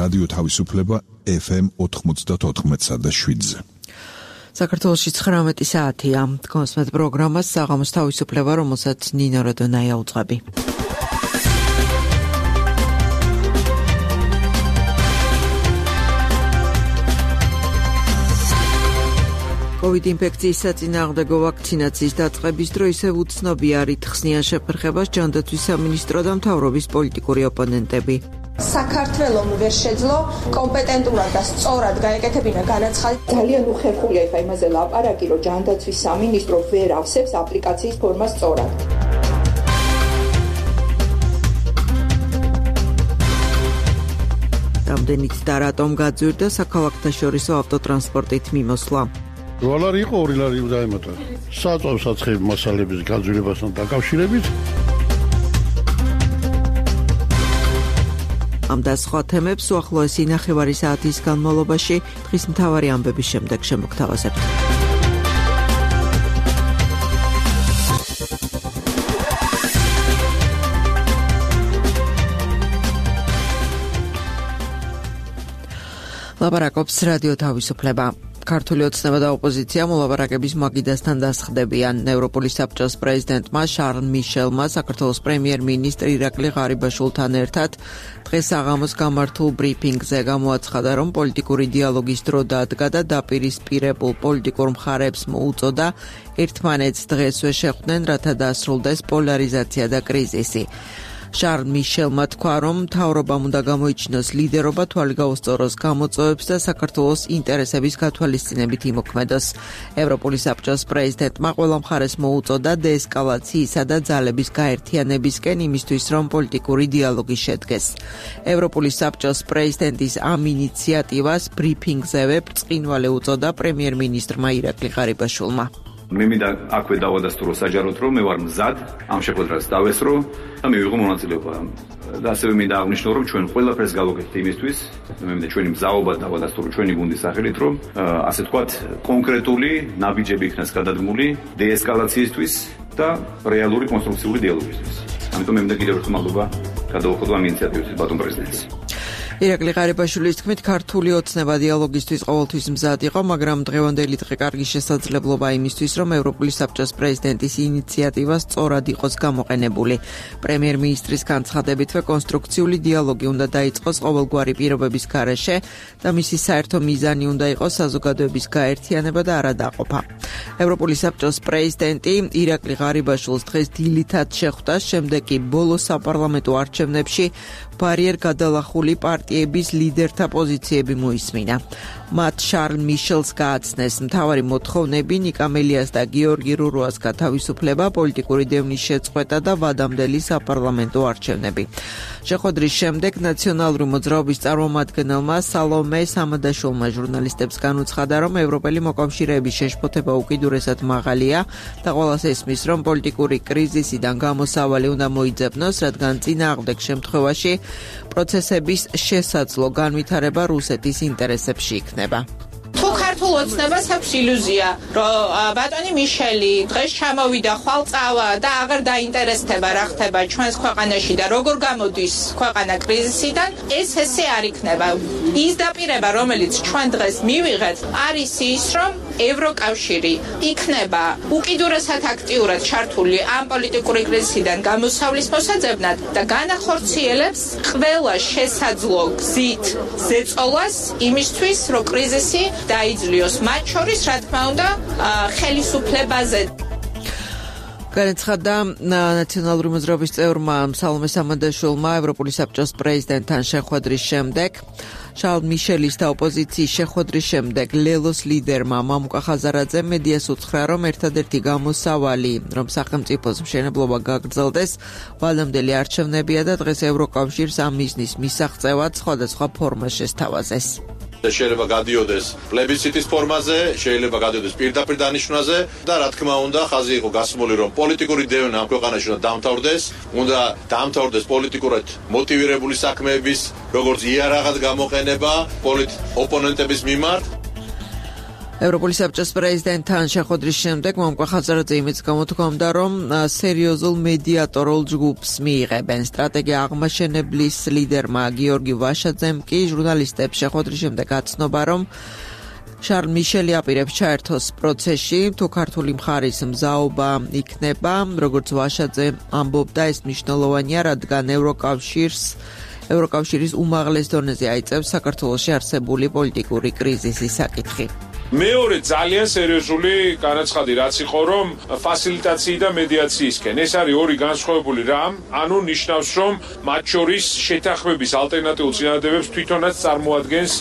რადიო თავისუფლება FM 94.7-ზე. საქართველოში 19 საათია. კონსმეთ პროგრამას საღამოს თავისუფლება, რომელსაც ნინო როდონაია უძღვები. COVID ინფექციის საწინააღმდეგო ვაქცინაციის დაწყების დრო ისევ უცნობია რითხსნიან შეფერხებას ჯანდაცვის სამინისტრო და მთავრობის პოლიტიკური ოპონენტები. საქართველომ ვერ შეძლო კომპეტენტურად და სწორად გაეკეთებინა განაცხადი. ძალიან უხერხულია ეხა იმაზე ლაპარაკი, რომ ჯანდაცვის სამინისტრო ვერ ავსებს აპლიკაციის ფორმას სწორად. რამდენიც და რატომ გაძვირდა საქალაქთაშორისო ავტოტრანსპორტით მიმოსვლა. ლარი იყო 2 ლარი დაემატა. საწვავ-საცხები მასალების გაძვირებასთან დაკავშირებით. ამ და სხვა თემებს უახლოესი ნახევარი საათის განმავლობაში დღის მთავარი ამბების შემდეგ შემოგთავაზებთ. ლაპარაკობს რადიო თავისუფლება. ქართული ოცნება და ოპოზიცია მოლაპარაკების მაგიდასთან დასხდებიან. ევროპული საბჭოს პრეზიდენტმა შარლ მიშელმა საქართველოს პრემიერ-მინისტრ ირაკლი ღარიბაშვილთან ერთად დღეს საღამოს გამართულ ბრიფინგზე გამოაცხადა, რომ პოლიტიკური დიალოგის დრო დადგა და დაპირისპირებულ პოლიტიკურ მხარებს მოუწოდა ერთმანეთს დღესვე შეხვდნენ, რათა დასრულდეს პოლარიზაცია და კრიზისი. შარლ მიშელმა თქვა, რომ მთავრობამ უნდა გამოიჩინოს ლიდერობა, თვალი გაუსწოროს გამოწვევებს და საქართველოს ინტერესების გათვალისწინებით იმოქმედოს. ევროპული საბჭოს პრეზიდენტმა ყველა მხარეს მოუწოდა დეესკალაციისა და ძალების გაერთიანებისკენ იმისთვის, რომ პოლიტიკური დიალოგი შედგეს. ევროპული საბჭოს პრეზიდენტის ამ ინიციატივას ბრიფინგზევე ბრწყინვალე უწოდა პრემიერ-მინისტრმა ირაკლი ღარიბაშვილმა. მე მინდა აქვე დავადასტურო საჯაროდ, რომ მე ვარ მზად ამ შეხვედრას დავესრო და მივიღო მონაწილეობა. და ასევე მინდა აღნიშნო, რომ ჩვენ ყველაფერს გავაკეთეთ იმისთვის, მე მინდა ჩვენი მზაობა დავადასტურო ჩვენი გუნდის სახელით, რომ ასე ვთქვათ, კონკრეტული ნაბიჯები იქნას გადადგმული დეესკალაციისთვის და რეალური კონსტრუქციული დიალოგისთვის. ამიტომ მე მინდა კიდევ ერთხელ მადლობა გადავუხადო ამ ინიციატივისთვის ბატონ პრეზიდენტს. ირაკლი ღარიბაშვილის თქმით, ქართული ოცნება დიალოგისთვის ყოველთვის მზად იყო, მაგრამ დღევანდელი დღე კარგი შესაძლებლობა იმისთვის, რომ ევროპული საბჭოს პრეზიდენტის ინიციატივა სწორად იყოს გამოყენებული. პრემიერ-მინისტრის განცხადებითვე კონსტრუქციული დიალოგი უნდა დაიწყოს ყოველგვარი პირობების გარეშე და მისი საერთო მიზანი უნდა იყოს საზოგადოების გაერთიანება და არადაყოფა. ევროპული საბჭოს პრეზიდენტი ირაკლი ღარიბაშვილს დღეს დილითაც შეხვდა, შემდეგ კი ბოლო საპარლამენტო არჩევნებში ბარიერ გადალახული პარტიების ლიდერთა პოზიციები მოისმინა. მათ შარლ მიშელს გააცნეს მთავარი მოთხოვნები ნიკამელიას და გიორგი რურუას გათავისუფლება, პოლიტიკური დევნის შეწყვეტა და ვადამდელი საპარლამენტო არჩევნები. შეხვედრის შემდეგ ნაციონალური მოძრაობის წარმომადგენელმა სალომე სამადაშვილმა ჟურნალისტებს განუცხადა, რომ ევროპელი მოკავშირეების შეშფოთება უკიდურესად მაღალია და ყველას ესმის, რომ პოლიტიკური კრიზისიდან გამოსავალი უნდა მოიძებნოს, რადგან წინააღმდეგ შემთხვევაში პროცესების შესაძლო განვითარება რუსეთის ინტერესებში იქნება. თუ ქართულ ოცნებას აქვს ილუზია, რომ ბატონი მიშელი დღეს ჩამოვიდა ხვალწავა და აღარ დაინტერესდება რა ხდება ჩვენს ქვეყანაში და როგორ გამოდის ქვეყანა კრიზისიდან, ეს ესე არ იქნება. ის დაპირება, რომელიც ჩვენ დღეს მივიღეთ, არის ის, რომ ევროკავშირი იქნება უკიდურესად აქტიურად ჩართული ამ პოლიტიკური კრიზისიდან გამოსავლის მოსაძებნად და განახორციელებს ყველა შესაძლო გზით ზეწოლას იმისთვის, რომ კრიზისი დაიძლიოს, მათ შორის, რა თქმა უნდა, ხელისუფლებაზე. განაცხადა ნაციონალური მოძრაობის წევრმა სალომე სამადაშვილმა ევროპული საბჭოს პრეზიდენტთან შეხვედრის შემდეგ. შარლ მიშელის და ოპოზიციის შეხვედრის შემდეგ ლელოს ლიდერმა მამუკა ხაზარაძე მედიას უთხრა, რომ ერთადერთი გამოსავალი, რომ სახელმწიფოს მშენებლობა გაგრძელდეს, ვალამდელი არჩევნებია და დღეს ევროკავშირს ამ მიზნის მისაღწევად სხვადასხვა ფორმა შესთავაზეს. შეიძლება გადიოდეს პლებისციტის ფორმაზე, შეიძლება გადიოდეს პირდაპირ დანიშვნაზე და რა თქმა უნდა, ხაზი იყო გასმული, რომ პოლიტიკური დევნა ამ ქვეყანაში უნდა დამთავრდეს, უნდა დამთავრდეს პოლიტიკურად მოტივირებული საქმეების, როგორც იარაღად გამოყენება ოპონენტების მიმართ. ევროპული საბჭოს პრეზიდენტთან შეხვედრის შემდეგ მომკვა ხაზარაძე იმედს გამოთქვამდა, რომ სერიოზულ მედიატორულ ჯგუფს მიიღებენ. სტრატეგია აღმაშენებლის ლიდერმა გიორგი ვაშაძემ კი ჟურნალისტებს შეხვედრის შემდეგ აცნობა, რომ შარლ მიშელი აპირებს ჩაერთოს პროცესში, თუ ქართული მხარის მზაობა იქნება, როგორც ვაშაძე ამბობდა, ეს მნიშვნელოვანია, რადგან ევროკავშირის უმაღლეს დონეზე აიწევს საქართველოში არსებული პოლიტიკური კრიზისის საკითხი. მეორე ძალიან სერიოზული განაცხადი რაც იყო, რომ ფასილიტაციის და მედიაციისკენ. ეს არის ორი განსხვავებული რამ, ანუ ნიშნავს, რომ მათ შორის შეთანხმების ალტერნატიულ წინადადებებს თვითონაც წარმოადგენს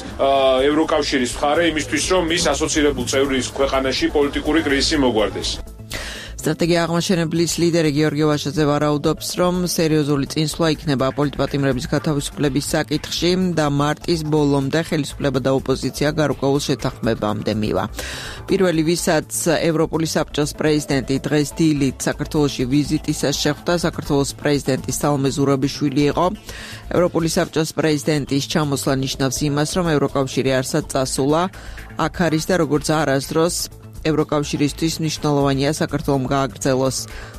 ევროკავშირის მხარე იმისთვის, რომ მის ასოცირებულ წევრის ქვეყანაში პოლიტიკური კრიზისი მოგვარდეს. სტრატეგია აღმაშენებლის ლიდერი გიორგი ვაშაძე ვარაუდობს, რომ სერიოზული წინსვლა იქნება პოლიტპატიმრების გათავისუფლების საკითხში და მარტის ბოლომდე ხელისუფლება და ოპოზიცია გარკვეულ შეთანხმებამდე მივა. პირველი, ვისაც ევროპული საბჭოს პრეზიდენტი დღეს დილით საქართველოში ვიზიტისას შეხვდა, საქართველოს პრეზიდენტი სალომე ზურაბიშვილი იყო. ევროპული საბჭოს პრეზიდენტის ჩამოსვლა ნიშნავს იმას, რომ ევროკავშირი არსად წასულა, აქ არის და როგორც არასდროს ევროკავშირისთვის მნიშვნელოვანია საქართველოს გააგრძელოს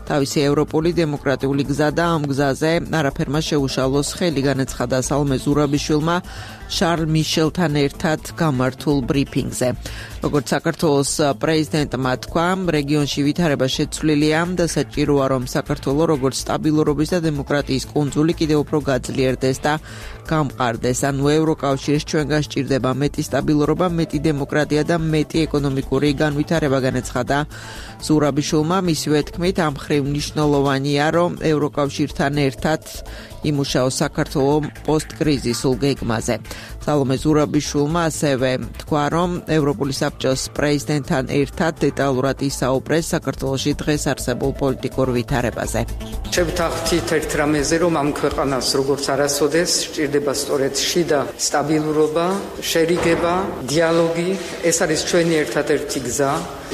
თავისი ევროპული დემოკრატიული გზა და ამ გზაზე არაფერმა შეუშალოს ხელი, განაცხადა სალომე ზურაბიშვილმა შარლ მიშელთან ერთად გამართულ ბრიფინგზე. როგორც საქართველოს პრეზიდენტმა თქვა, რეგიონში ვითარება შეცვლილია და საჭიროა, რომ საქართველოს როგორც სტაბილურობის და დემოკრატიის კუნძული კიდევ უფრო გაძლიერდეს და გამყარდეს. ანუ ევროკავშირს ჩვენ გასჭირდება მეტი სტაბილურობა, მეტი დემოკრატია და მეტი ეკონომიკური განვითარება, განაცხადა ზურაბიშვილმა. მისივე თქმით, ამ მხრივ მნიშვნელოვანია, რომ ევროკავშირთან ერთად იმუშაოს საქართველოს პოსტკრიზისულ გეგმაზე. სალომე ზურაბიშვილმა ასევე თქვა, რომ ევროპული საბჭოს პრეზიდენტთან ერთად დეტალურად ისაუბრეს საქართველოში დღეს არსებულ პოლიტიკურ ვითარებაზე. შევთანხმდით ერთ რამეზე, რომ ამ ქვეყანას როგორც არასოდეს სჭირდება სწორედ შიდა სტაბილურობა, შერიგება, დიალოგი. ეს არის ჩვენი ერთადერთი გზა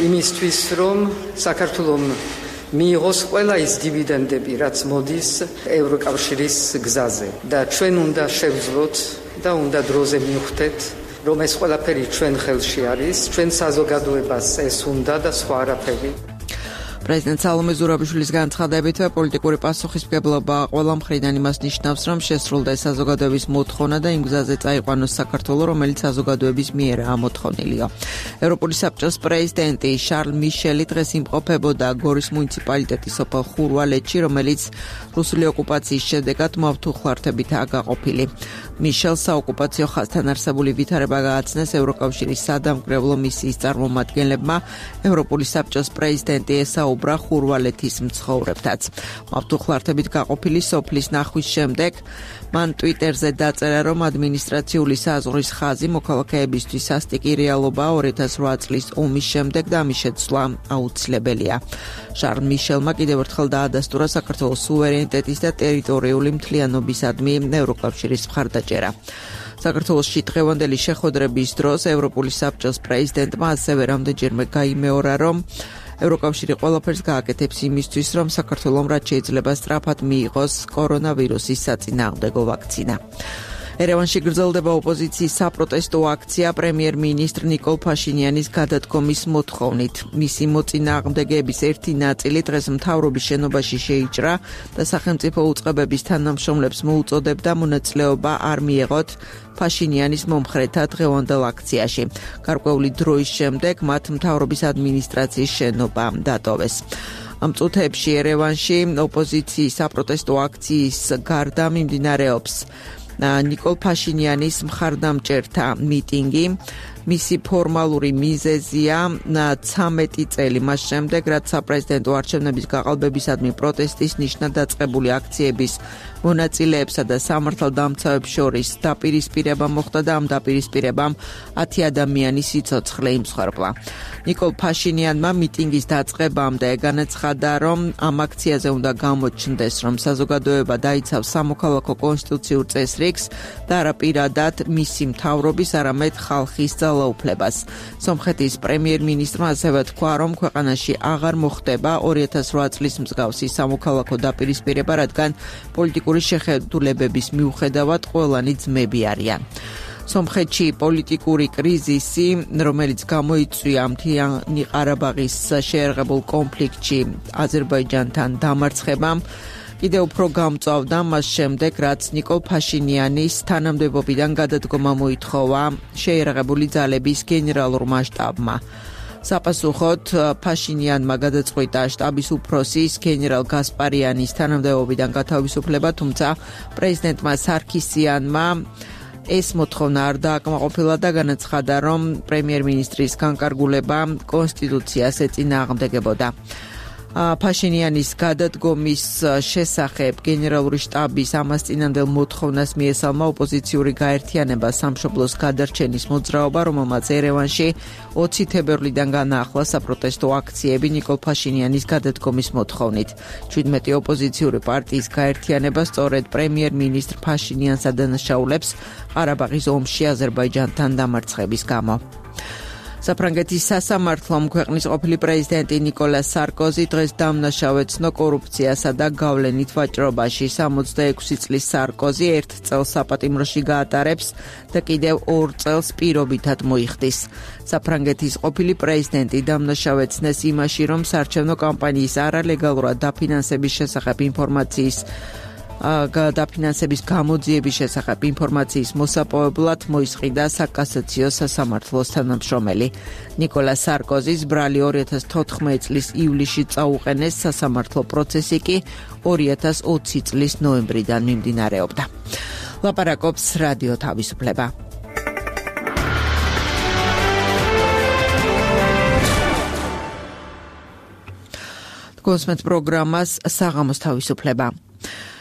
იმისთვის, რომ საქართველოს მიიღოს ყველა ის დივიდენდები, რაც მოდის ევროკავშირის გზაზე და ჩვენ უნდა შევძლოთ და უნდა დროზე მივხვდეთ, რომ ეს ყველაფერი ჩვენ ხელში არის, ჩვენ საზოგადოებას ეს უნდა და სხვა არაფერი. პრეზიდენტ სალომე ზურაბიშვილის განცხადებით, პოლიტიკური პასუხისმგებლობა ყველა მხრიდან იმას ნიშნავს, რომ შესრულდეს საზოგადოების მოთხოვნა და იმ გზაზე წაიყვანოს საქართველოს, რომელიც საზოგადოების მიერაა მოთხოვნილიო. ევროპული საბჭოს პრეზიდენტი შარლ მიშელი დღეს იმყოფებოდა გორის მუნიციპალიტეტის სოფელ ხურვალეთში, რომელიც რუსული ოკუპაციის შედეგად მავთუხლართებითაა გაყოფილი. მიშელს საოკუპაციო ხაზთან არსებული ვითარება გააცნეს ევროკავშირის სადამკვირვებლო მისიის წარმომადგენლებმა. ევროპული საბჭოს პრეზიდენტი ესაუბრა ხურვალეთის მცხოვრებთაც. მავთუხლართებით გაყოფილი სოფლის ნახვის შემდეგ მან ტვიტერზე დაწერა, რომ ადმინისტრაციული საზღვრის ხაზი მოქალაქეებისთვის სასტიკი რეალობაა 2008 წლის ომის შემდეგ და ამის შეცვლა აუცილებელია. შარლ მიშელმა კიდევ ერთხელ დაადასტურა საქართველოს სუვერენიტეტის და ტერიტორიული მთლიანობისადმი ევროკავშირის მხარდაჭერა. საქართველოში დღევანდელი შეხვედრების დროს ევროპული საბჭოს პრეზიდენტმა ასევე რამდენჯერმე გაიმეორა, რომ ევროკავშირი ყველაფერს გააკეთებს იმისთვის, რომ საქართველოს რაც შეიძლება სწრაფად მიიღოს კორონავირუსის საწინააღმდეგო ვაქცინა. ერევანში გრძელდება ოპოზიციის საპროტესტო აქცია პრემიერ-მინისტრ ნიკოლ ფაშინიანის გადადგომის მოთხოვნით. მისი მოწინააღმდეგეების ერთი ნაწილი დღეს მთავრობის შენობაში შეიჭრა და სახელმწიფო უწყებების თანამშრომლებს მოუწოდებდა მონაწილეობა არ მიეღოთ ფაშინიანის მომხრეთა დღევანდელ აქციაში. გარკვეული დროის შემდეგ მათ მთავრობის ადმინისტრაციის შენობა დატოვეს. ამ წუთებში ერევანში ოპოზიციის საპროტესტო აქციის გარდა მიმდინარეობს ნიკოლ ფაშინიანის მხარდამჭერთა მიტინგი. მისი ფორმალური მიზეზია 13 წელი მას შემდეგ, რაც საპრეზიდენტო არჩევნების გაყალბებისადმი პროტესტის ნიშნად დაწყებული აქციების მონაწილეებსა და სამართალდამცავებს შორის დაპირისპირება მოხდა და ამ დაპირისპირებამ 10 ადამიანის სიცოცხლე იმსხვერპლა. ნიკოლ ფაშინიანმა მიტინგის დაწყებამდე განაცხადა, რომ ამ აქციაზე უნდა გამოჩნდეს, რომ საზოგადოება დაიცავს სამოქალაქო კონსტიტუციურ წესრიგს და არა პირადად მისი მთავრობის, არამედ ხალხის ძალაუფლებას. სომხეთის პრემიერ-მინისტრმა ასევე თქვა, რომ ქვეყანაში აღარ მოხდება 2008 წლის მსგავსი სამოქალაქო დაპირისპირება, რადგან პოლიტიკური შეხედულებების მიუხედავად ყველანი ძმები არიან. სომხეთში პოლიტიკური კრიზისი, რომელიც გამოიწვია მთიანი ყარაბაღის შეერაღებულ კონფლიქტში აზერბაიჯანთან დამარცხებამ, კიდევ უფრო გამწვავდა მას შემდეგ, რაც ნიკოლ ფაშინიანის თანამდებობიდან გადადგომა მოითხოვა შეერაღებული ძალების გენერალურმა შტაბმა. საპასუხოდ ფაშინიანმა გადაწყვიტა შტაბის უფროსის გენერალ გასპარიანის თანამდებობიდან გათავისუფლება, თუმცა პრეზიდენტმა სარქისიანმა ეს მოთხოვნა არ დააკმაყოფილა და განაცხადა, რომ პრემიერ-მინისტრის განკარგულება კონსტიტუციას ეწინააღმდეგებოდა. ფაშინიანის გადადგომის შესახებ გენერალური შტაბის ამას წინანდელ მოთხოვნას მიესალმა ოპოზიციური გაერთიანება სამშობლოს გადარჩენის მოძრაობა, რომელმაც ერევანში 20 თებერვლიდან განაახლა საპროტესტო აქციები ნიკოლ ფაშინიანის გადადგომის მოთხოვნით. 17 ოპოზიციური პარტიის გაერთიანება სწორედ პრემიერ-მინისტრ ფაშინიანს ადანაშაულებს ყარაბაღის ომში აზერბაიჯანთან დამარცხების გამო. საფრანგეთის სასამართლომ ქვეყნის ყოფილი პრეზიდენტი ნიკოლას სარკოზი დღეს დამნაშავე ცნო კორუფციასა და გავლენით ვაჭრობაში. 66 წლის სარკოზი 1 წელს საპატიმროში გაატარებს და კიდევ 2 წელს პირობითად მოიხდის. საფრანგეთის ყოფილი პრეზიდენტი დამნაშავე ცნეს იმაში, რომ საარჩევნო კამპანიის არალეგალურად დაფინანსების შესახებ დაფინანსების გამოძიების შესახებ ინფორმაციის მოსაპოვებლად მოისყიდა საკასაციო სასამართლოს თანამშრომელი. ნიკოლა სარკოზის ბრალი 2014 წლის ივლისში წაუყენეს, სასამართლო პროცესი კი 2020 წლის ნოემბრიდან მიმდინარეობდა. ლაპარაკობს რადიო თავისუფლება. კონსმეთ პროგრამას საღამოს თავისუფლება.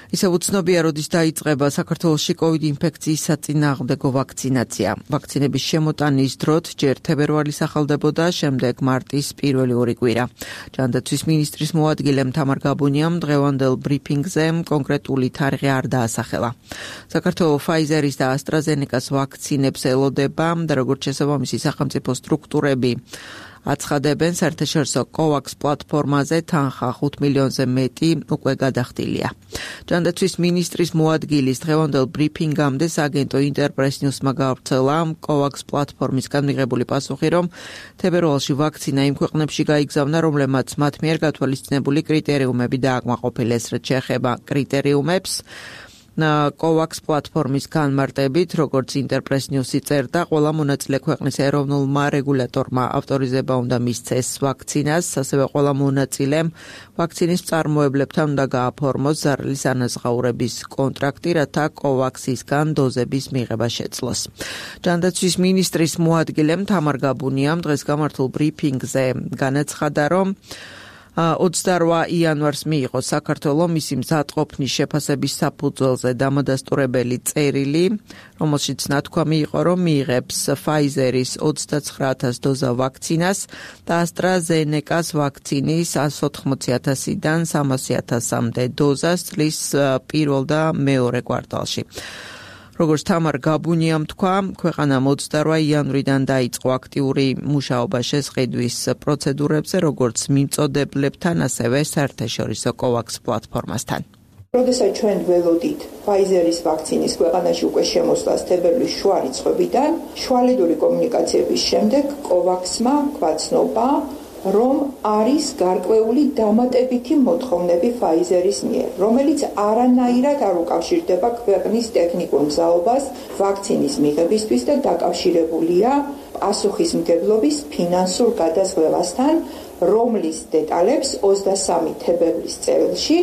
ისევ უცნობია, როდის დაიწყება საქართველოში COVID ინფექციის საწინააღმდეგო ვაქცინაცია. ვაქცინების შემოტანის დროთ ჯერ თებერვალის ახალდებოდა, შემდეგ მარტის პირველი 2 კვირა. ჯანდაცვის მინისტრის მოადგილემ თამარ გაბუნიამ დღევანდელ ბრიფინგზე კონკრეტული თარიღი არ დაასახელა. საქართველოს Pfizer-ის და AstraZeneca-ს ვაქცინებს ელოდება და როგორც შესაბამისი სახელმწიფო სტრუქტურები აცხადებენ, საერთაშორისო COVAX პლატფორმაზე თანხა 5 მილიონზე მეტი უკვე გადახდილია. ჯანდაცვის მინისტრის მოადგილის დღევანდელ ბრიფინგამდე სააგენტო ინტერპრეს ნიუსმა გავრცელა COVAX პლატფორმისგან მიღებული პასუხი, რომ თებერვალში ვაქცინა იმ ქვეყნებში გაიგზავნა, რომლებმაც მათ მიერ გათვალისწინებული კრიტერიუმები დააკმაყოფილეს, რაც შეეხება კრიტერიუმებს. COVAX პლატფორმის განმარტებით, როგორც ინტერპრეს ნიუსი წერდა, ყველა მონაწილე ქვეყნის ეროვნულმა რეგულატორმა ავტორიზება უნდა მისცეს ვაქცინას, ასევე ყველა მონაწილემ ვაქცინის მწარმოებლებთან უნდა გააფორმოს ზარალის ანაზღაურების კონტრაქტი, რათა COVAX-ისგან დოზების მიღება შეძლოს. ჯანდაცვის მინისტრის მოადგილემ თამარ გაბუნიამ დღეს გამართულ ბრიფინგზე განაცხადა, რომ 28 იანვარს მიიღო საქართველოს მისი მზადყოფნის შეფასების საფუძველზე დამადასტურებელი წერილი, რომელშიც ნათქვამი იყო, რომ მიიღებს Pfizer-ის 29000 დოზა ვაქცინას და AstraZeneca-ს ვაქცინის 180,000-დან 300,000-მდე დოზას წლის პირველ და მეორე კვარტალში. როგორც თამარ გაბუნიამ თქვა, ქვეყანამ 28 იანვრიდან დაიწყო აქტიური მუშაობა შესყიდვის პროცედურებზე, როგორც მიმწოდებლებთან, ასევე საერთაშორისო COVAX პლატფორმასთან. როდესაც ჩვენ ველოდით Pfizer-ის ვაქცინის ქვეყანაში უკვე შემოსვლას თებერვლის შუა რიცხვებიდან, შუალედური კომუნიკაციების შემდეგ COVAX-მა გვაცნობა, რომ არის გარკვეული დამატებითი მოთხოვნები Pfizer-ის მიერ, რომელიც არანაირად არ უკავშირდება ქვეყნის ტექნიკურ მზაობას ვაქცინის მიღებისთვის და დაკავშირებულია პასუხისმგებლობის ფინანსურ გადაზღვრებასთან, რომლის დეტალებს 23 თებერვლის წერილში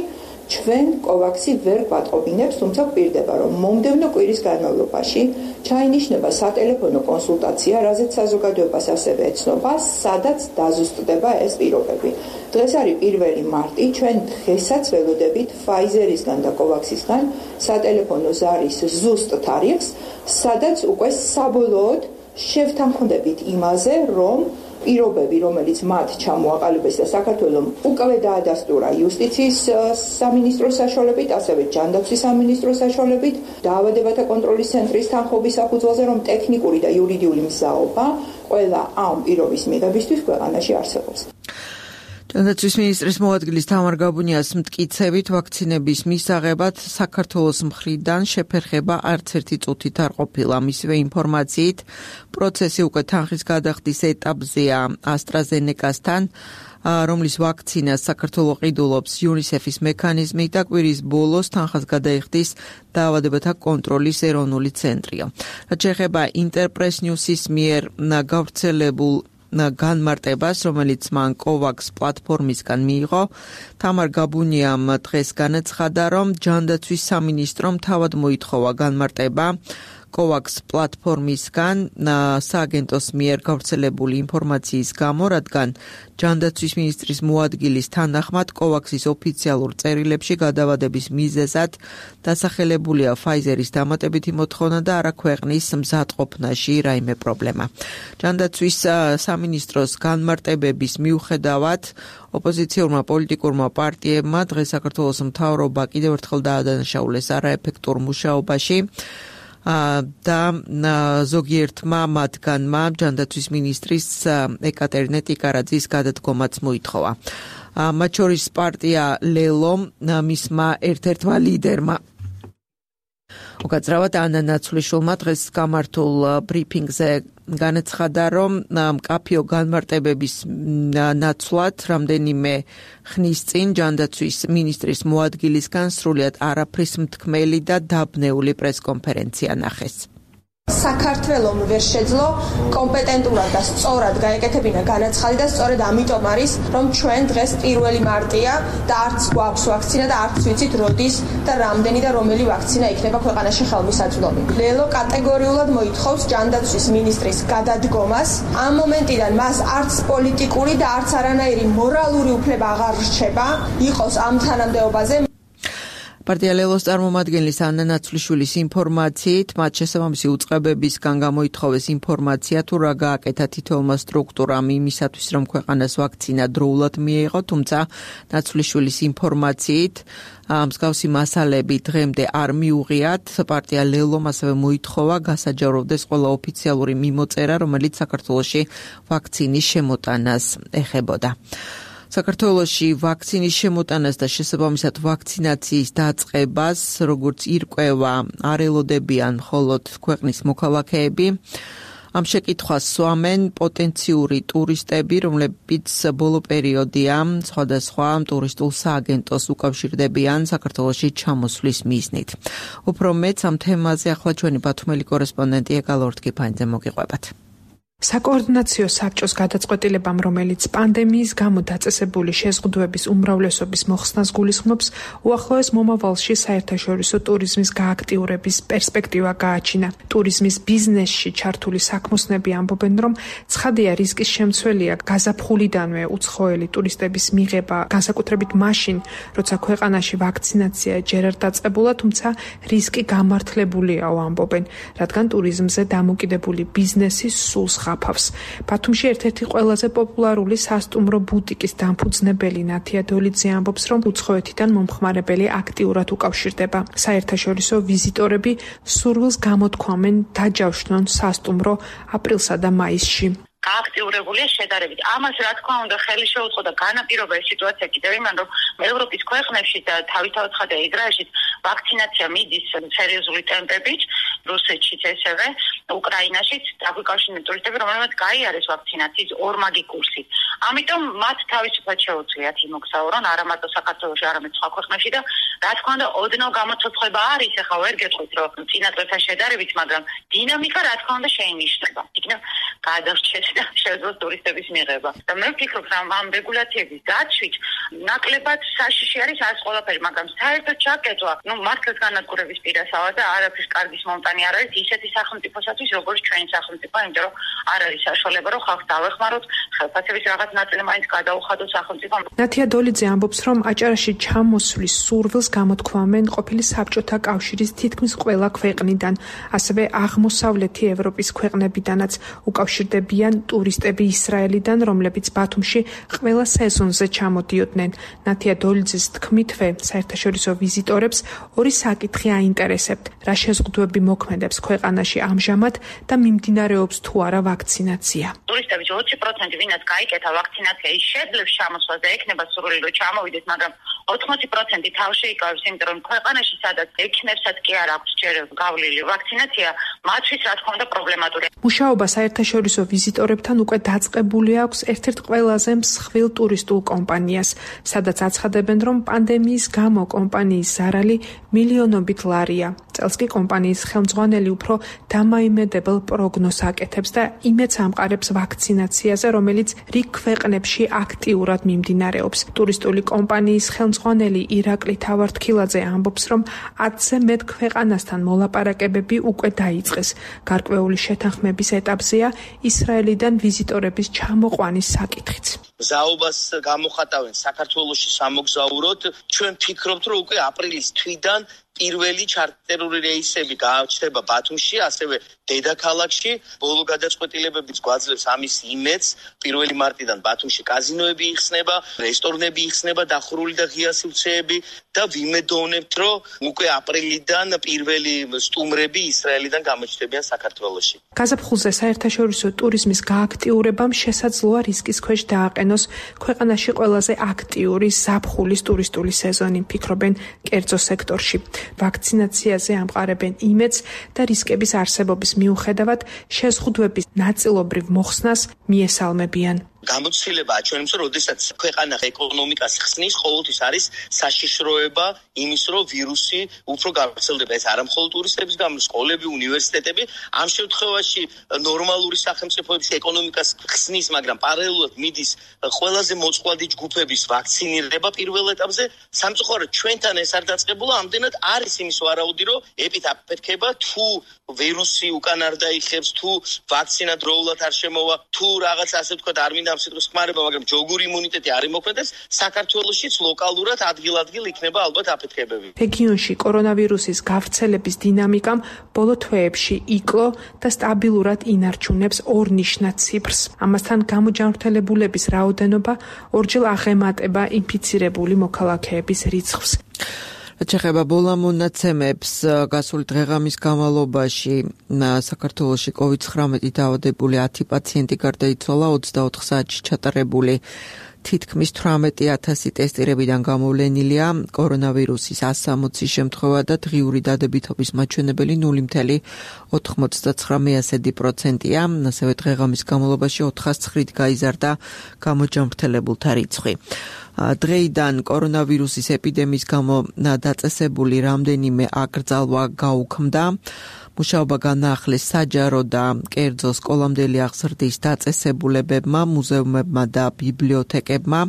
ჩვენ COVAX-ი ვერ გვატყობინებს, თუმცა გვპირდება, რომ მომდევნო კვირის განმავლობაში ჩაინიშნება სატელეფონო კონსულტაცია, რაზეც საზოგადოებას ასევე ეცნობა, სადაც დაზუსტდება ეს პირობები. დღეს არის 1 მარტი, ჩვენ დღესაც ველოდებით Pfizer-ისგან და COVAX-ისგან სატელეფონო ზარის ზუსტ თარიღს, სადაც უკვე საბოლოოდ შევთანხმდებით იმაზე, რომ პირობები, რომელიც მათ ჩამოაყალიბეს და საქართველოს უკვე დაადასტურა იუსტიციის სამინისტროს საშუალებით, ასევე ჯანდაცვის სამინისტროს საშუალებით, დაავადებათა კონტროლის ცენტრის თანხმობის საფუძველზე, რომ ტექნიკური და იურიდიული მზაობა ყველა ამ პირობის მიღებისთვის ქვეყანაში არსებობს. ჯანდაცვის მინისტრის მოადგილის თამარ გაბუნიას მტკიცებით ვაქცინების მისაღებად საქართველოს მხრიდან შეფერხება არც ერთი წუთით არ ყოფილა. მისივე ინფორმაციით, პროცესი უკვე თანხის გადახდის ეტაპზეა AstraZeneca-სთან, რომლის ვაქცინას საქართველოს ყიდულობს UNICEF-ის მექანიზმი და კვირის ბოლოს თანხას გადაიხდის დაავადებათა კონტროლის ეროვნული ცენტრია. რაც შეეხება Interpress News-ის მიერ გავრცელებულ განმარტებას, რომელიც მან COVAX პლატფორმისგან მიიღო, თამარ გაბუნიამ დღეს განაცხადა, რომ ჯანდაცვის სამინისტრომ თავად მოითხოვა განმარტება COVAX პლატფორმისგან სააგენტოს მიერ გავრცელებული ინფორმაციის გამო, რადგან ჯანდაცვის მინისტრის მოადგილის თანახმად COVAX-ის ოფიციალურ წერილებში გადავადების მიზეზად დასახელებულია Pfizer-ის დამატებითი მოთხოვნა და არა ქვეყნის მზადყოფნაში რაიმე პრობლემა. ჯანდაცვის სამინისტროს განმარტებების მიუხედავად ოპოზიციურმა პოლიტიკურმა პარტიებმა დღეს საქართველოს მთავრობა კიდევ ერთხელ დაადანაშაულეს არაეფექტურ მუშაობაში და ზოგიერთმა მათგანმა ჯანდაცვის მინისტრის ეკატერინე ტიკარაძის გადადგომაც მოითხოვა. მათ შორის პარტია ლელო მისმა ერთ-ერთმა ლიდერმა უკაცრავად ანა ნაცვლიშვილმა დღეს გამართულ ბრიფინგზე განაცხადა, რომ მკაფიო განმარტებების ნაცვლად რამდენიმე ხნის წინ ჯანდაცვის მინისტრის მოადგილისგან სრულიად არაფრის მთქმელი და დაბნეული პრესკონფერენცია ნახეს. საქართველომ ვერ შეძლო კომპეტენტურად და სწორად გაეკეთებინა განაცხადი და სწორედ ამიტომ არის, რომ ჩვენ დღეს 1 მარტია და არც გვაქვს ვაქცინა და არც ვიცით როდის და რამდენი და რომელი ვაქცინა იქნება ქვეყანაში ხელმისაწვდომი. ლელო კატეგორიულად მოითხოვს ჯანდაცვის მინისტრის გადადგომას. ამ მომენტიდან მას არც პოლიტიკური და არც არანაირი მორალური უფლება აღარ რჩება იყოს ამ თანამდებობაზე. პარტია ლელოს წარმომადგენლის ანა ნაცვლიშვილის ინფორმაციით, მათ შესაბამისი უწყებებისგან გამოითხოვეს ინფორმაცია, თუ რა გააკეთა თითოეულმა სტრუქტურამ იმისათვის, რომ ქვეყანას ვაქცინა დროულად მიეღო, თუმცა ნაცვლიშვილის ინფორმაციით მსგავსი მასალები დღემდე არ მიუღიათ. პარტია ლელომ ასევე მოითხოვა გასაჯაროვდეს ყველა ოფიციალური მიმოწერა, რომელიც საქართველოში ვაქცინის შემოტანას ეხებოდა. საქართველოში ვაქცინის შემოტანას და შესაბამისად ვაქცინაციის დაწყებას, როგორც ირკვევა, არ ელოდებიან მხოლოდ ქვეყნის მოქალაქეები. ამ შეკითხვას სვამენ პოტენციური ტურისტები, რომლებიც ბოლო პერიოდია სხვადასხვა ტურისტულ სააგენტოს უკავშირდებიან საქართველოში ჩამოსვლის მიზნით. უფრო მეც ამ თემაზე ახლა ჩვენი ბათუმელი კორესპონდენტი ეკალორთკიფანიძე მოგიყვებათ. საკოორდინაციო საბჭოს გადაწყვეტილებამ, რომელიც პანდემიის გამო დაწესებული შეზღუდვების უმრავლესობის მოხსნას გულისხმობს, უახლოეს მომავალში საერთაშორისო ტურიზმის გააქტიურების პერსპექტივა გააჩინა. ტურიზმის ბიზნესში ჩართული საქმოსნები ამბობენ, რომ ცხადია რისკის შემცველია გაზაფხულიდანვე უცხოელი ტურისტების მიღება, განსაკუთრებით მაშინ, როცა ქვეყანაში ვაქცინაცია ჯერ არ დაწყებულა, თუმცა რისკი გამართლებულიაო ამბობენ, რადგან ტურიზმზე დამოკიდებული ბიზნესი სულს ხაფავს. ბათუმში ერთ-ერთი ყველაზე პოპულარული სასტუმრო ბუტიკის დამფუძნებელი ნათია დოლიძე ამბობს, რომ უცხოეთიდან მომხმარებელი აქტიურად უკავშირდება. საერთაშორისო ვიზიტორები სურვილს გამოთქვამენ დაჯავშნონ სასტუმრო აპრილსა და მაისში. გააქტიურებულია შედარებით. ამას რა თქმა უნდა ხელი შეუწყო და განაპირობა ეს სიტუაცია კიდევ იმან, რომ ევროპის ქვეყნებში და თავისთავად ხდება ისრაელშიც ვაქცინაცია მიდის სერიოზული ტემპებით, რუსეთშიც ესევე, უკრაინაშიც დაგვიკავშირდნენ ტურისტები, რომელმაც გაიარეს ვაქცინაციის ორმაგი კურსი. ამიტომ მათ თავისუფლად შეუძლიათ იმოგზაურონ არა მარტო საქართველოში, არამედ სხვა ქვეყნებში და რა თქმა უნდა ოდნავ გამოცოცხლება არის, ახლა ვერ გეტყვით, რომ წინა წლებთან შედარებით, მაგრამ დინამიკა რა თქმა უნდა შეინიშნება. იქნებ გადარჩეთ და შეძლოს ტურისტების მიღება. და მე ვფიქრობ, რომ ამ რეგულაციების დაცვით ნაკლებად საშიში არის ეს ყველაფერი, მაგრამ საერთოდ ჩაკეტვა, მართლაც განადგურების პირასაა და არაფრის კარგის მომტანი არ არის ისეთი სახელმწიფოსათვის, როგორც ჩვენი სახელმწიფო, იმიტომ რომ არ არის საშუალება, რომ ხალხს დავეხმაროთ, ხელფასების რაღაც ნაწილი მაინც გადაუხადოთ სახელმწიფომ. ნათია დოლიძე ამბობს, რომ აჭარაში ჩამოსვლის სურვილს გამოთქვამენ ყოფილი საბჭოთა კავშირის თითქმის ყველა ქვეყნიდან, ასევე აღმოსავლეთი ევროპის ქვეყნებიდანაც უკავშირდებიან ტურისტები ისრაელიდან, რომლებიც ბათუმში ყველა სეზონზე ჩამოდიოდნენ. ნათია დოლიძის თქმითვე, საერთაშორისო ვიზიტორებს ორი საკითხი აინტერესებთ: რა შეზღუდვები მოქმედებს მოქმედებს ქვეყანაში ამჟამად და მიმდინარეობს თუ არა ვაქცინაცია. ტურისტების 20% ვინაც გაიკეთა ვაქცინაცია, ის შეძლებს ჩამოსვლას და ექნება სურვილი რომ ჩამოვიდეს, მაგრამ 80% თავში იკავებს, იმიტომ რომ ქვეყანაში სადაც ექნებსაც კი არ აქვს ჯერ გავლილი ვაქცინაცია, მათთვის რა თქმა უნდა პრობლემატურია. მუშაობა საერთაშორისო ვიზიტორებთან უკვე დაწყებული აქვს ერთ-ერთ ყველაზე მსხვილ ტურისტულ კომპანიას, სადაც აცხადებენ, რომ პანდემიის გამო კომპანიის ზარალი მილიონობით ლარია. წელს კი კომპანიის ხელმძღვანელი უფრო დამაიმედებელ პროგნოზს აკეთებს და იმედს ამყარებს ვაქცინაციაზე, რომელიც რიგ ქვეყნებში აქტიურად მიმდინარეობს. ტურისტული კომპანიის ხელმძღვანელი ირაკლი თავართქილაძე ამბობს, რომ 10-ზე მეტ ქვეყანასთან მოლაპარაკებები უკვე დაიწყეს. გარკვეული შეთანხმების ეტაპზეა ისრაელიდან ვიზიტორების ჩამოყვანის საკითხიც. მზაობას გამოხატავენ საქართველოში სამოგზაუროდ. ჩვენ ვფიქრობთ, რომ უკვე აპრილის თვიდან პირველი ჩარტერული რეისები გაჩნდება ბათუმში, ასევე დედაქალაქში. ბოლო გადაწყვეტილებებიც გვაძლევს ამის იმედს. 1 მარტიდან ბათუმში კაზინოები იხსნება, რესტორნები იხსნება, დახურული და ღია სივრცეები და ვიმედოვნებთ, რომ უკვე აპრილიდან პირველი სტუმრები ისრაელიდან გამოჩნდებიან საქართველოში. გაზაფხულზე საერთაშორისო ტურიზმის გააქტიურებამ შესაძლოა რისკის ქვეშ დააყენოს ქვეყანაში ყველაზე აქტიური ზაფხულის ტურისტული სეზონი, ფიქრობენ კერძო სექტორში. ვაქცინაციაზე ამყარებენ იმედს და რისკების არსებობის მიუხედავად შეზღუდვების ნაწილობრივ მოხსნას მიესალმებიან. გამოცდილებაა ჩვენს, რომ როდესაც ქვეყანა ეკონომიკას ხსნის, ყოველთვის არის საშიშროება იმის, რომ ვირუსი უფრო გავრცელდება. ეს არა მხოლოდ ტურისტების გამო, სკოლები, უნივერსიტეტები. ამ შემთხვევაში ნორმალური სახელმწიფოების ეკონომიკას ხსნის, მაგრამ პარალელურად მიდის ყველაზე მოწყვლადი ჯგუფების ვაქცინირება პირველ ეტაპზე. სამწუხაროდ ჩვენთან ეს არ დაწყებულა, ამდენად არის იმის ვარაუდი, რომ ეპიდაფეთქება, თუ ვირუსი უკან არ დაიხევს, თუ ვაქცინა დროულად არ შემოვა, თუ რაღაც ასე ვთქვათ არ მინდა სიტყვის ხმარება, მაგრამ ჯოგური იმუნიტეტი არ იმოქმედებს, საქართველოშიც ლოკალურად ადგილ-ადგილ იქნება ალბათ აფეთქებები. რეგიონში კორონავირუსის გავრცელების დინამიკამ ბოლო თვეებში იკლო და სტაბილურად ინარჩუნებს ორნიშნად ციფრს. ამასთან გამოჯანმრთელებულების რაოდენობა ორჯერ აღემატება ინფიცირებული მოქალაქეების რიცხვს. რაც ეხება ბოლამონაცემებს, გასული დღეღამის განმავლობაში საქართველოში COVID-19 დაავადებული 10 პაციენტი გარდაიცვალა, 24 საათში ჩატარებული თითქმის 18,000 ტესტირებიდან გამოვლენილია კორონავირუსის 160 შემთხვევა და დღიური დადებითობის მაჩვენებელი 0.99%-ია. ასევე დღეღამის განმავლობაში 409-ით გაიზარდა გამოჯანმრთელებულთა რიცხვი. დღეიდან კორონავირუსის ეპიდემიის გამო დაწესებული რამდენიმე აკრძალვა გაუქმდა. მუშაობა განაახლეს საჯარო და კერძო სკოლამდელი აღზრდის დაწესებულებებმა, მუზეუმებმა და ბიბლიოთეკებმა.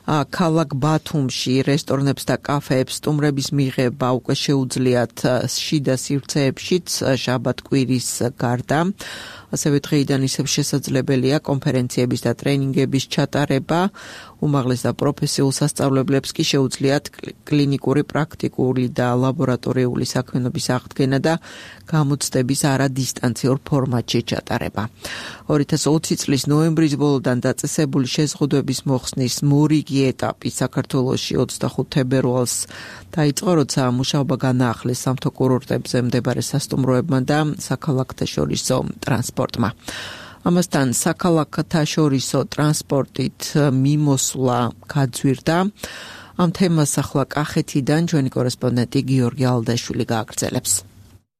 ქალაქ ბათუმში რესტორნებს და კაფეებს სტუმრების მიღება უკვე შეუძლიათ შიდა სივრცეებშიც შაბათ-კვირის გარდა. ასევე დღეიდან ისევ შესაძლებელია კონფერენციების და ტრენინგების ჩატარება. უმაღლეს და პროფესიულ სასწავლებლებს კი შეუძლიათ კლინიკური, პრაქტიკული და ლაბორატორიული საქმიანობის აღდგენა და გამოცდების არადისტანციურ ფორმატში ჩატარება. 2020 წლის ნოემბრის ბოლოდან დაწესებული შეზღუდვების მოხსნის მორიგი ეტაპი საქართველოში 25 თებერვალს დაიწყო, როცა მუშაობა განაახლეს სამთო კურორტებზე მდებარე სასტუმროებმა და საქალაქთაშორისო ტრანსპორტმა. ამასთან საქალაქთაშორისო ტრანსპორტით მიმოსვლა გაძვირდა. ამ თემას ახლა კახეთიდან ჩვენი კორესპონდენტი გიორგი ალდაშვილი გააგრძელებს.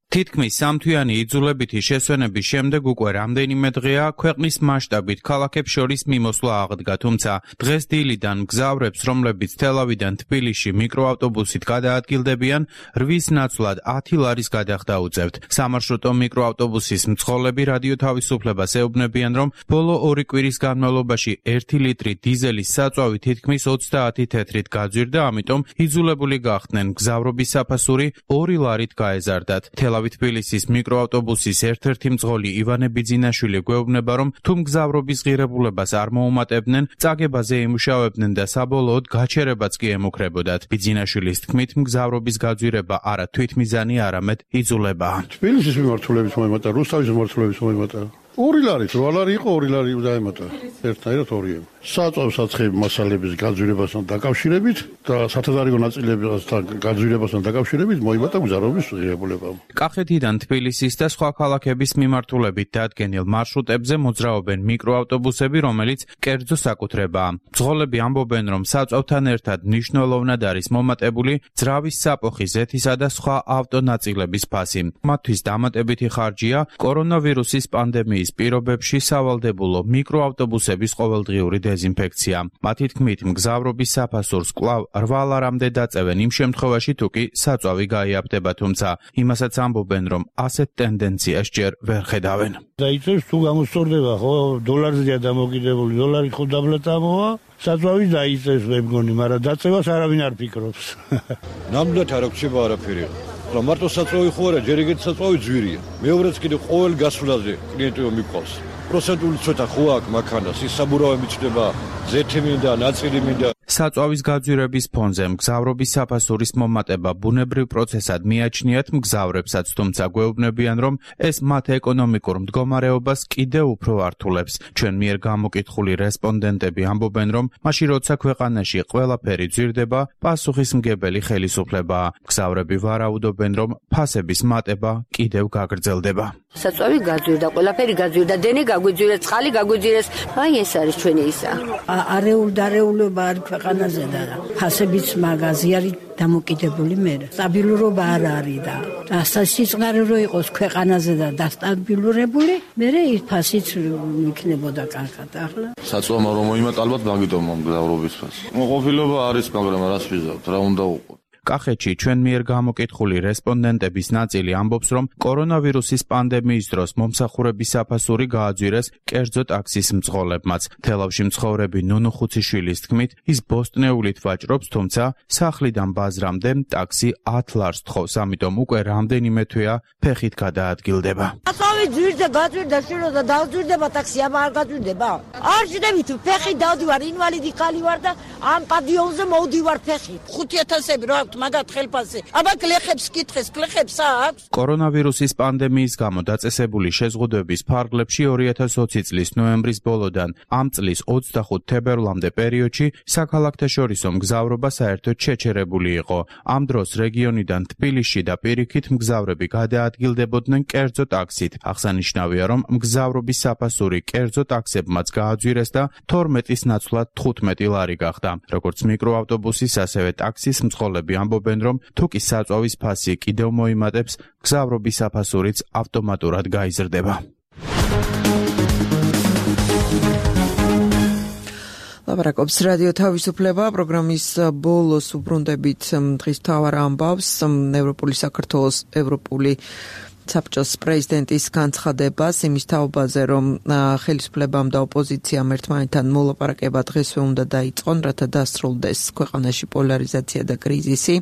თითქმის სამთვიანი იძულებითი შესვენების შემდეგ უკვე რამდენიმე დღეა ქვეყნის მასშტაბით ქალაქებს შორის მიმოსვლა აღდგა, თუმცა დღეს დილიდან მგზავრებს, რომლებიც თელავიდან თბილისში მიკროავტობუსით გადაადგილდებიან, 8-ის ნაცვლად 10 ლარის გადახდა უწევთ. სამარშრუტო მიკროავტობუსის მძღოლები რადიო თავისუფლებას ეუბნებიან, რომ ბოლო 2 კვირის განმავლობაში 1 ლიტრი დიზელის საწვავი თითქმის 30 თეთრით გაძვირდა, ამიტომ იძულებული გახდნენ მგზავრობის საფასური 2 ლარით გაეზარდათ. თბილისის მიკროავტობუსის ერთ-ერთი მძღოლი ივანე ბიძინაშვილი გვეუბნება, რომ თუ მგზავრობის ღირებულებას არ მოუმატებდნენ, წაგებაზე იმუშავებდნენ და საბოლოოდ გაჩერებაც კი ემუქრებოდათ. ბიძინაშვილის თქმით, მგზავრობის გაძვირება არა თვითმიზანი, არამედ იძულებაა. თბილისის მიმართულების მოემატა, რუსთავის მიმართულების მოემატა. 2 ლარი, 8 ლარი იყო, 2 ლარი დაემატა. ერთნაირად 2. საწვავ-საცხები მასალების გაძვირებასთან დაკავშირებით და სათადარიგო ნაწილებთან გაძვირებასთან დაკავშირებით მოიბადა მგზავრობის ღირებულება. კახეთიდან თბილისის და სხვა ქალაქების მიმართულებით დადგენილ მარშრუტებზე მოძრაობენ მიკროავტობუსები, რომელიც კერძო საკუთრებაა. მძღოლები ამბობენ, რომ საწვავთან ერთად მნიშვნელოვნად არის მომატებული ძრავის საფოხი, ზეთისა და სხვა ავტონაწილების ფასი. მათთვის დამატებითი ხარჯია კორონავირუსის პანდემიის პირობებში სავალდებულო მიკროავტობუსების ყოველდღიური დეზინფექცია. მათი თქმით, მგზავრობის საფასურს კვლავ 8 ლარამდე დაწევენ იმ შემთხვევაში, თუ კი საწვავი გაიაფდება, თუმცა იმასაც ამბობენ, რომ ასეთ ტენდენციას ჯერ ვერ ხედავენ. დაიწევს თუ გამოსწორდება, ხო, დოლარზეა დამოკიდებული, დოლარი ხო დაბლატამოა, საწვავი დაიწევს მე მგონი, მაგრამ დაწევას არავინ არ ფიქრობს. ნამდვილად არ აქვს არაფერი. რა მარტო საწვავი ხო არა, ჯერ ეგეთი საწვავი ძვირია. მეორეც კიდე ყოველ გასვლაზე კლიენტებო მიყვავს. პროცენტული ცოტა ხო აქვს მაქანას, ის საბურავები ჩდება, ზეთი მინდა, ნაწილი მინდა. საწვავის გაძვირების ფონზე მგზავრობის საფასურის მომატება ბუნებრივ პროცესად მიაჩნიათ მგზავრებსაც, თუმცა გვეუბნებიან, რომ ეს მათ ეკონომიკურ მდგომარეობას კიდევ უფრო ართულებს. ჩვენ მიერ გამოკითხული რესპონდენტები ამბობენ, რომ მაშინ როცა ქვეყანაში ყველაფერი ძვირდება, პასუხისმგებელი ხელისუფლებაა. მგზავრები ვარაუდობენ, რომ ფასების მატება კიდევ გაგრძელდება. საწვავი გაძვირდა, ყველაფერი გაძვირდა, დენი გაგვიძვირეს, წყალი გაგვიძვირეს. აი ეს არის ჩვენი ისა. არეულობა არ ქვეყანაზე და ფასებიც მაგაზი არის დამოკიდებული მე. სტაბილურობა არ არის და სიწყარი რო იყოს ქვეყანაზე და დასტაბილურებული, მე ფასიც იქნებოდა კარგად ახლა. საწვავმა რომ მოიმატა ალბათ მაგიტომ მგზავრობის ფასი. მოყოფილობა არის, მაგრამ რას ვიზავთ, რა უნდა უყო. კახეთში ჩვენ მიერ გამოკითხული რესპონდენტების ნაწილი ამბობს, რომ კორონავირუსის პანდემიის დროს მომსახურების საფასური გააძვირეს კერძო ტაქსის მძღოლებმაც. თელავში მცხოვრები ნუნუ ხუციშვილის თქმით, ის ბოსტნეულით ვაჭრობს, თუმცა სახლიდან ბაზრამდე ტაქსი 10 ლარს თხოვს, ამიტომ უკვე რამდენიმე თვეა ფეხით გადაადგილდება. საწვავი ძვირდა, გაძვირდა, შვილო და დაძვირდება ტაქსი, აბა არ გაძვირდება. არ ჟდებით, ფეხით დავდივარ, ინვალიდი ხალი ვარ და ამ პადიონზე მოვდივარ ფეხით. 5000-ები რა მაგათ ხელფასზე. აბა გლეხებს კითხეს, გლეხებს აქვს. კორონავირუსის პანდემიის გამო დაწესებული შეზღუდვების ფარგლებში 2020 წლის ნოემბრის ბოლოდან ამ წლის 25 თებერვლამდე პერიოდში საქალაქთაშორისო მგზავრობა საერთოდ შეჩერებული იყო. ამ დროს რეგიონიდან თბილისში და პირიქით მგზავრები გადაადგილდებოდნენ კერძო ტაქსით. აღსანიშნავია, რომ მგზავრობის საფასური კერძო ტაქსებმაც გააძვირეს და 12-ის ნაცვლად 15 ლარი გახდა. როგორც მიკროავტობუსის, ასევე ტაქსის მძღოლები ამბობენ, რომ თუ კი საწვავის ფასი კიდევ მოიმატებს, მგზავრობის საფასურიც ავტომატურად გაიზრდება. ლაპარაკობს რადიო თავისუფლება, პროგრამის ბოლოს უბრუნდებით დღის მთავარ ამბავს, ევროპული საქართველოს ევროპული საბჭოს პრეზიდენტის განცხადებას იმის თაობაზე, რომ ხელისუფლებამ და ოპოზიციამ ერთმანეთთან მოლაპარაკება დღესვე უნდა დაიწყონ, რათა დასრულდეს ქვეყანაში პოლარიზაცია და კრიზისი.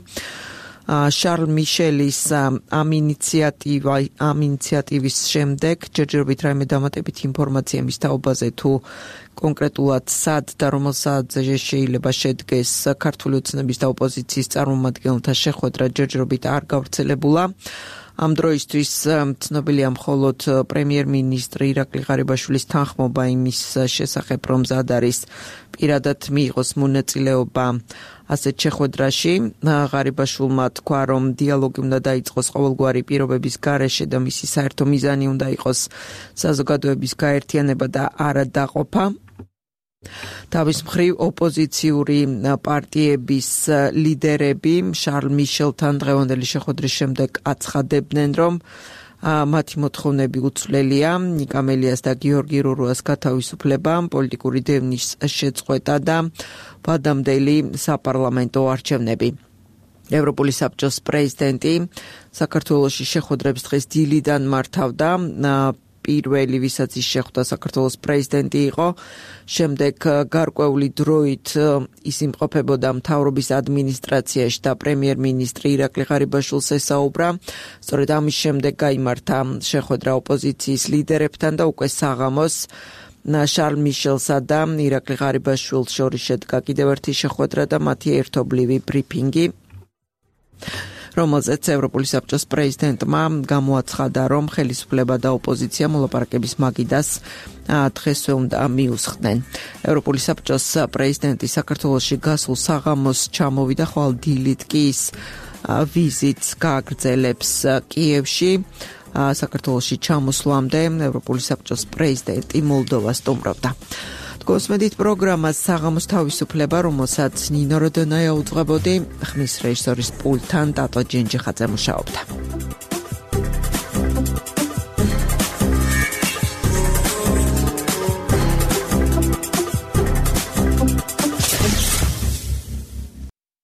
შარლ მიშელის ამ ინიციატივის შემდეგ ჯერჯერობით რაიმე დამატებითი ინფორმაცია იმის თაობაზე, თუ კონკრეტულად სად და რომელ საათზე შეიძლება შედგეს ქართული ოცნების და ოპოზიციის წარმომადგენელთა შეხვედრა, ჯერჯერობით არ გავრცელებულა. ამ დროისთვის ცნობილია მხოლოდ პრემიერ-მინისტრი ირაკლი ღარიბაშვილის თანხმობა იმის შესახებ, რომ მზად არის პირადად მიიღოს მონაწილეობა ასეთ შეხვედრაში. ღარიბაშვილმა თქვა, რომ დიალოგი უნდა დაიწყოს ყოველგვარი პირობების გარეშე და მისი საერთო მიზანი უნდა იყოს საზოგადოების გაერთიანება და არა დაყოფა. თავის მხრივ ოპოზიციური პარტიების ლიდერები შარლ მიშელთან დღევანდელი შეხვედრის შემდეგ აცხადებდნენ, რომ მათი მოთხოვნები უცვლელია, ნიკა მელიას და გიორგი რურუას გათავისუფლება, პოლიტიკური დევნის შეწყვეტა და ვადამდელი საპარლამენტო არჩევნები. ევროპული საბჭოს პრეზიდენტი საქართველოში შეხვედრებს დღეს დილიდან მართავდა. პირველი, ვისაც ის შეხვდა, საქართველოს პრეზიდენტი იყო. შემდეგ გარკვეული დროით ის იმყოფებოდა მთავრობის ადმინისტრაციაში და პრემიერ-მინისტრი ირაკლი ღარიბაშვილს ესაუბრა. სწორედ ამის შემდეგ გაიმართა შეხვედრა ოპოზიციის ლიდერებთან და უკვე საღამოს შარლ მიშელსა და ირაკლი ღარიბაშვილს შორის შედგა კიდევ ერთი შეხვედრა და მათი ერთობლივი ბრიფინგი. რომელზეც ევროპული საბჭოს პრეზიდენტმა გამოაცხადა, რომ ხელისუფლება და ოპოზიცია მოლაპარაკების მაგიდას დღესვე უნდა მიუსხდნენ. ევროპული საბჭოს პრეზიდენტი საქართველოში გასულ საღამოს ჩამოვიდა, ხვალ დილით კი ის ვიზიტს გააგრძელებს კიევში. საქართველოში ჩამოსვლამდე ევროპული საბჭოს პრეზიდენტი მოლდოვას სტუმრობდა. გოსმედით პროგრამას საღამოს თავისუფლება, რომელსაც ნინო როდონაია უძღვებოდი, ხმის რეჟისორის პულტთან ტატო ჯენჯიხაძე მუშაობდა.